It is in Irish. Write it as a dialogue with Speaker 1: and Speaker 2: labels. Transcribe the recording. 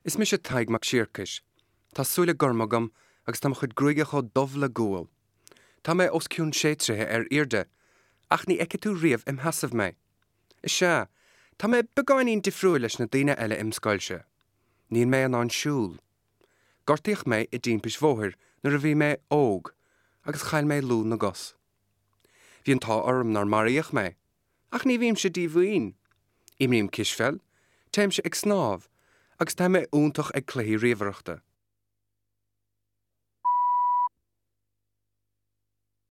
Speaker 1: Is mise Tadhg Mac Siarcais. Tá súile gorma agam agus tá mo chuid gruaige chomh dubh le gual. Tá mé os cionn sé troithe ar airde, ach ní fheicfidh tú riamh im sheasamh mé. Is ea, tá mé beagáinín difriúil leis na daoine eile im scoilse. Níl mé in ann siúl. Gortaíodh mé i dtimpist bhóthair nuair a bhí mé óg agus chaill mé lúth na gcos. Bhí an t-ádh orm nár maraíodh mé. Ach ní bhímse díomhaoin. Imrím cispheil, téimse ag snámh, agus tá mé iontach ag cluichí ríomhaireachta.